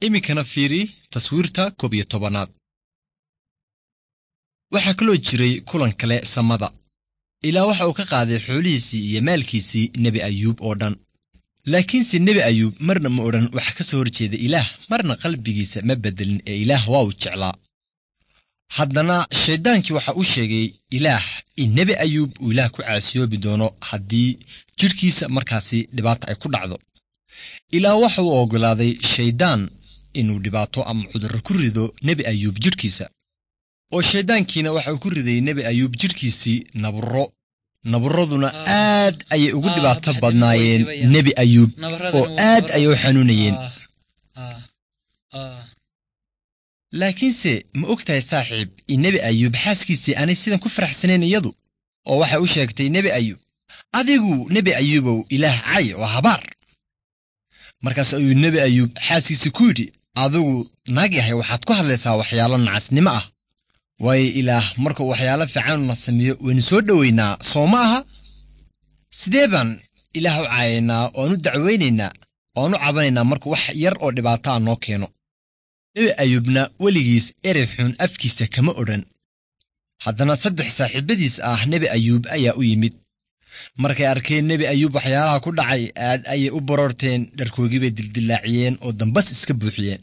Iminkana fiiri taswiirta 11aad. Waxaa kaloo jiray kulan kale samada. Ilaa waxa uu ka qaaday xoolihiisii iyo maalkiisii Nebi Ayuub oo dhan. Laakiinse Nebi Ayuub marna ma odhan wax ka soo horjeeda Ilaah, marna qalbigiisa ma beddelin ee Ilaah waa uu jeclaa. Haddana shayddaankii waxa uu sheegay Ilaah in Nebi Ayuub uu Ilaah ku caasiyoobi doono haddii jidhkiisa markaasi dhibaata ay ku dhacdo. Ilaah waxa uu oggolaaday shayddaan inuu dhibaato ama cudurro ku rido Nebi Ayuub jidhkiisa. Oo shayddaankiina waxa uu ku riday Nebi Ayuub jidhkiisii nabarro. Nabarraduna aad ayay ugu dhibaato badnaayeen Nebi Ayuub oo aad ayay u xanuunayeen. Laakiinse ma og tahay saaxiib in Nebi Ayuub xaaskiisii aanay sidan ku faraxsanayn iyadu, oo waxay u sheegtay Nebi Ayuub, adigu Nebi Ayuubow Ilaah cay oo habaar. Markaas ayuu Nebi Ayuub xaaskiisii ku yidhi, adigu naag yahay waxaad ku hadlaysaa waxyaalo nacasnimo ah. Waayo Ilaah markuu waxyaalo fiicanuna sameeyo waynu soo dhowaynaa, soo ma aha? Sidee baan Ilaah u caayaynaa oo aan u dacwaynaynaa oo aan u cabanaynaa markuu wax yar oo dhibaato ah noo keeno? Nebi Ayuubna weligiis erey xun afkiisa kama odhan. Haddana 3 saaxiibadiis ah Nebi Ayuub ayaa u yimid. Markay arkeen Nebi Ayuub waxyaalaha ku dhacay, aad ayay u baroorteen, dharkoogii bay dildillaaciyeen oo dambas iska buuxiyeen.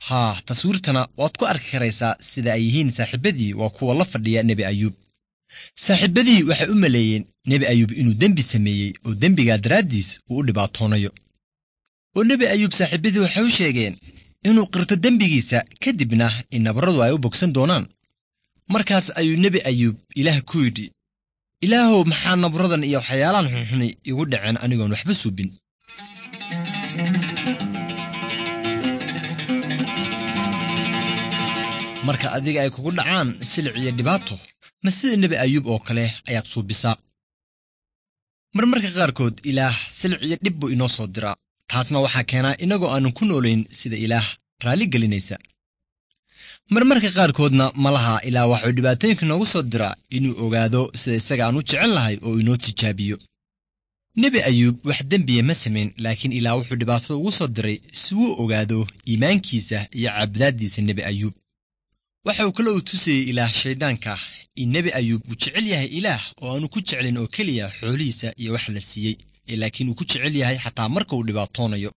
Haa, taswiirtana waad ku arki karaysaa sida ay yihiin saaxiibadii waa kuwa la fadhiya Nebi Ayuub. Saaxiibadii waxay u maleeyeen Nebi Ayuub inuu dembi sameeyey oo dembigaa daraaddiis uu u dhibaatoonayo. Oo Nebi Ayuub saaxiibadii waxay u sheegeen inuu qirto dembigiisa, kadibna in nabarradu ay u bogsan doonaan. Markaas ayuu Nebi Ayuub Ilaah ku yidhi, Ilaahow maxaa nabarradan iyo waxyaalahan xunxuni igu dhaceen anigoon waxba suubin? Marka adiga ay kugu dhacaan silic iyo dhibaato, ma sida Nebi Ayuub oo kale ayaad suubisaa? Marmarka qaarkood Ilaah silic iyo dhib buu inoo soo diraa. Taasna waxaa keenaa inagoo aanan ku noolayn sida Ilaah raalli gelinaysa. Marmarka qaarkoodna malaha Ilaah waxuu dhibaatooyinka noogu soo diraa inuu ogaado sida isaga aan u jecel lahay oo inoo tijaabiyo. Nebi Ayuub wax dembiya ma samayn, laakiin Ilaah wuxuu dhibaatada ugu soo diray si uu ogaado iimaankiisa iyo caabudaaddiisa Nebi Ayuub. Waxa uu kale uu tusayey Ilaah shayddaanka in Nebi Ayuub uu jecel yahay Ilaah oo aanu ku jeclin oo keliya xoolihiisa iyo wax la siiyey, laakiin uu ku jecel yahay xataa marka uu dhibaatoonayo.